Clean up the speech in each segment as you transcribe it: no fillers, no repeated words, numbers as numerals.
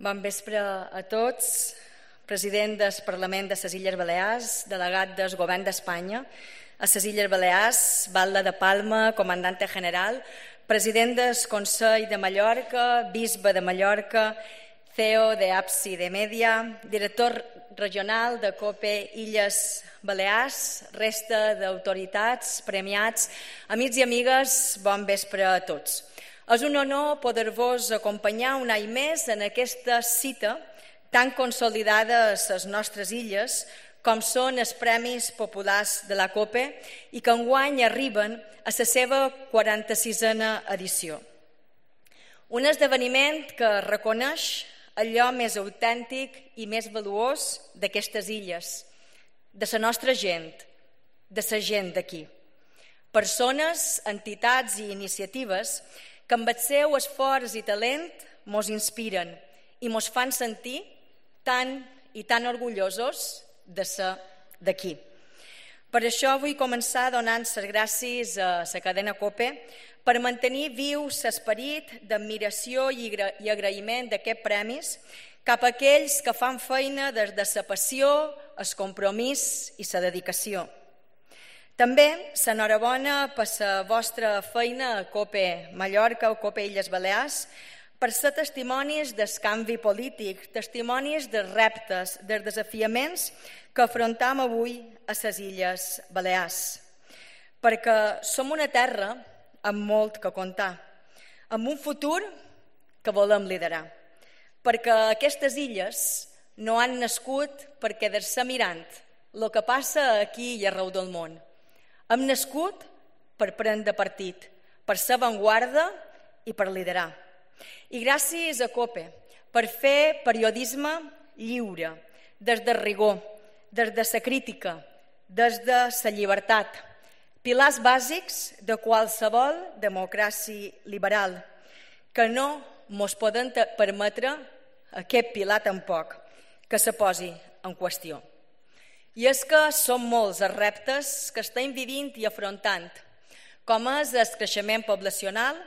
Bon vespre a tots. President del Parlament de les Illes Balears, delegat del Govern d'Espanya a les Illes Balears, batlle de Palma, comandante general, president del Consell de Mallorca, bisbe de Mallorca, CEO de APSI de Media, director regional de COPE Illes Balears, resta d'autoritats, premiats, amics i amigues, bon vespre a tots. És un honor poder-vos acompanyar un any més en aquesta cita tan consolidada a les nostres illes com són els Premis Populars de la COPE i que enguany arriben a la seva 46a edició. Un esdeveniment que reconeix allò més autèntic i més valuós d'aquestes illes, de la nostra gent, de la gent d'aquí. Persones, entitats i iniciatives que amb el seu esforç i talent mos inspiren i mos fan sentir tan i tan orgullosos de ser d'aquí. Per això vull començar donant les gràcies a la cadena COPE per mantenir viu l'esperit d'admiració i agraïment d'aquests premis cap a aquells que fan feina des de la passió, el compromís i la dedicació. També l'enhorabona per la vostra feina a COPE Mallorca o COPE Illes Balears, per ser testimonis del canvi polític, testimonis dels reptes, dels desafiaments que afrontam avui a les Illes Balears. Perquè som una terra amb molt que contar, amb un futur que volem liderar. Perquè aquestes illes no han nascut per quedar-se mirant el que passa aquí i arreu del món. Hem nascut per prendre partit, per ser avantguarda i per liderar. I gràcies a COPE per fer periodisme lliure, des del rigor, des de la crítica, des de la llibertat, pilars bàsics de qualsevol democràcia liberal, que no mos poden permetre aquest pilar tampoc, que se posi en qüestió. I és que són molts els reptes que estem vivint i afrontant, com és el creixement poblacional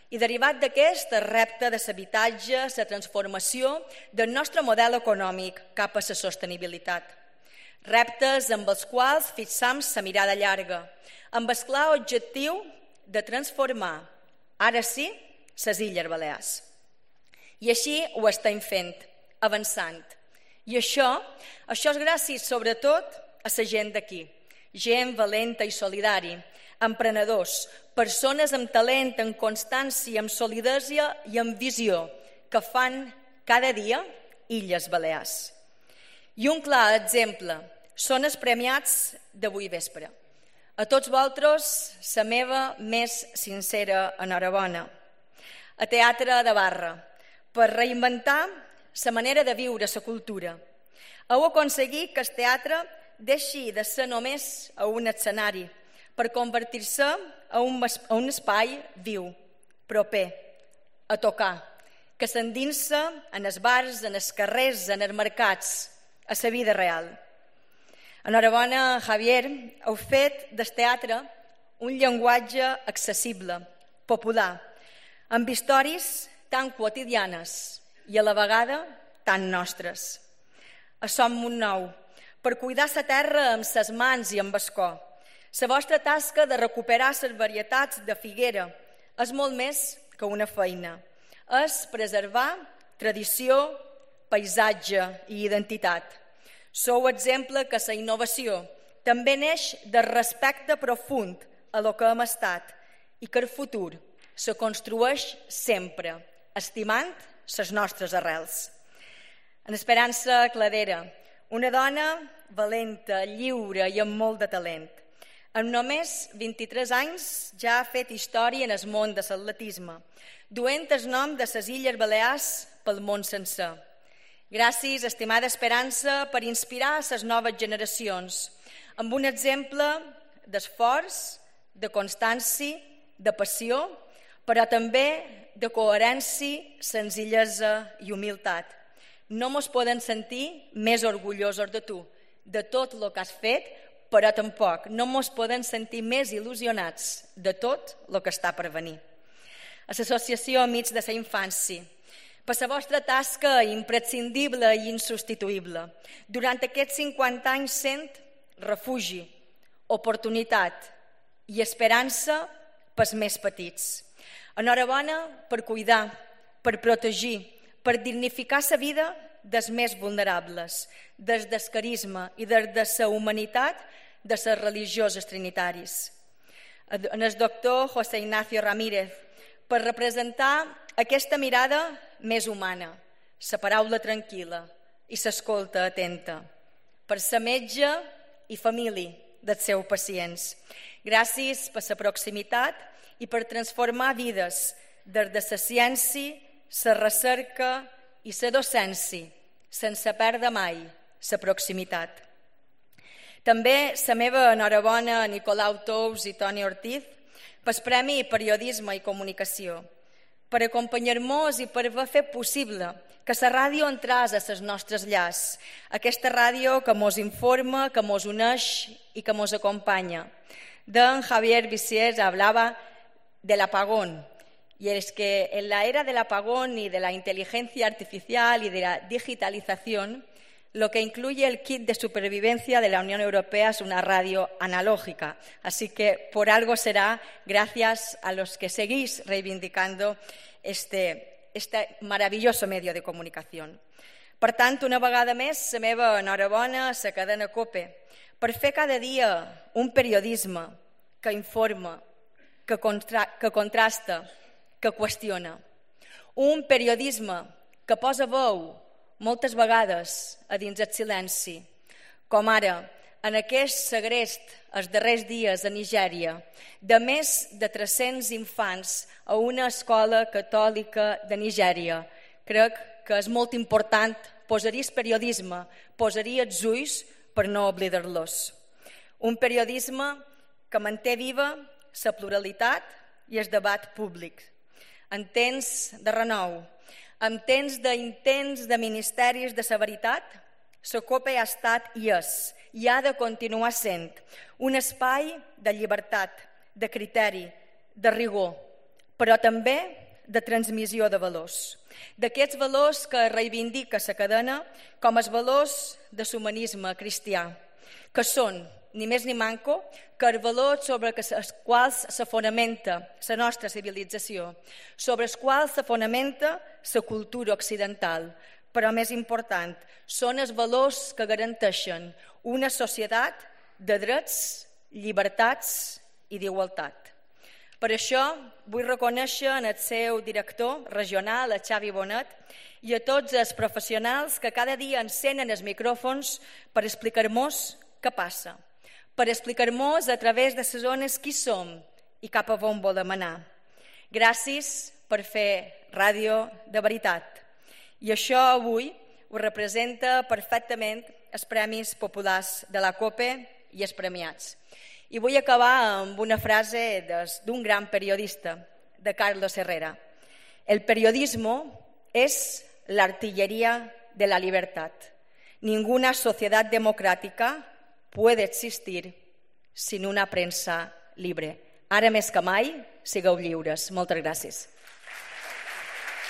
i derivat d'aquest el repte de l'habitatge, la transformació del nostre model econòmic cap a la sostenibilitat. Reptes amb els quals fixam la mirada llarga, amb el clar objectiu de transformar, ara sí, les Illes Balears. I així ho estem fent, avançant. I això és gràcies sobretot a la gent d'aquí, gent valenta i solidària, emprenedors, persones amb talent, amb constància, amb solidesa i amb visió, que fan cada dia Illes Balears. I un clar exemple són els premiats d'avui vespre. A tots vosaltres, la meva més sincera enhorabona. A Teatre de Barra, per reinventar la manera de viure la cultura. Heu aconseguit que el teatre deixi de ser només a un escenari per convertir-se en un espai viu, proper, a tocar, que s'endinsa en els bars, en els carrers, en els mercats, a la vida real. Enhorabona, Javier, heu fet del teatre un llenguatge accessible, popular, amb històries tan quotidianes i a la vegada tan nostres. A Som Montnou, per cuidar la terra amb ses mans i amb el cor. La vostra tasca de recuperar les varietats de figuera és molt més que una feina. És preservar tradició, paisatge i identitat. Sou exemple que la innovació també neix del respecte profund a lo que hem estat i que el futur se construeix sempre, estimant les nostres arrels. En Esperança Cladera, una dona valenta, lliure i amb molt de talent. Amb només 23 anys ja ha fet història en el món de l'atletisme, duent el nom de les Illes Balears pel món sencer. Gràcies, estimada Esperança, per inspirar les noves generacions, amb un exemple d'esforç, de constància, de passió, però també de coherència, senzillesa i humilitat. No mos podem sentir més orgullosos de tu, de tot el que has fet, però tampoc no mos podem sentir més il·lusionats de tot el que està per venir. A l'Associació Amics de la Infància, per la vostra tasca imprescindible i insubstituïble. Durant aquests 50 anys sent refugi, oportunitat i esperança pels més petits. Enhorabona per cuidar, per protegir, per dignificar la vida dels més vulnerables, des del carisma i des de la humanitat de les religioses trinitaris. En el doctor José Ignacio Ramírez, per representar aquesta mirada més humana, la paraula tranquil·la i l'escolta atenta, per ser metge i família dels seus pacients. Gràcies per la proximitat i per transformar vides des de la ciència, la recerca i la docència, sense perdre mai la proximitat. També la meva enhorabona a Nicolau Tous i Toni Ortiz pel Premi Periodisme i Comunicació, per acompanyar-nos i per haver fet possible que la ràdio entrés a les nostres llars, aquesta ràdio que mos informa, que mos uneix i que mos acompanya. Don Javier Visiers hablaba del apagón, y es que en la era del apagón y de la inteligencia artificial y de la digitalización, lo que incluye el kit de supervivencia de la Unión Europea es una radio analógica. Así que por algo será gracias a los que seguís reivindicando este maravilloso medio de comunicación. Per tant, una vegada més, la meva enhorabona a la cadena COPE per fer cada dia un periodisme que informa, que contrasta, que qüestiona. Un periodisme que posa veu moltes vegades a dins el silenci, com ara en aquest segrest els darrers dies a Nigèria de més de 300 infants a una escola catòlica de Nigèria. Crec que és molt important posar-hi el periodisme, posar-hi els ulls per no oblidar-los. Un periodisme que manté viva la pluralitat i el debat públic. En temps de renou, en temps d'intents de ministeris de la veritat, la COPE ha estat i és, i ha de continuar sent, un espai de llibertat, de criteri, de rigor, però també de transmissió de valors. D'aquests valors que reivindica la cadena com els valors de l'humanisme cristià, que són, ni més ni manco, que els valors sobre els quals se fonamenta la nostra civilització, sobre els quals se fonamenta la cultura occidental, però més important, són els valors que garanteixen una societat de drets, llibertats i d'igualtat. Per això vull reconèixer en el seu director regional, a Xavi Bonet, i a tots els professionals que cada dia encenen els micròfons per explicar-nos què passa, per explicar-nos a través de les zones qui som i cap a on volem anar. Gràcies per fer ràdio de veritat. I això avui ho representa perfectament els Premis Populars de la COPE i els premiats. I vull acabar amb una frase d'un gran periodista, de Carlos Herrera. El periodismo es la artillería de la libertad. Ninguna sociedad democrática puede existir sin una premsa libre. Ara més que mai, sigueu lliures. Moltes gràcies.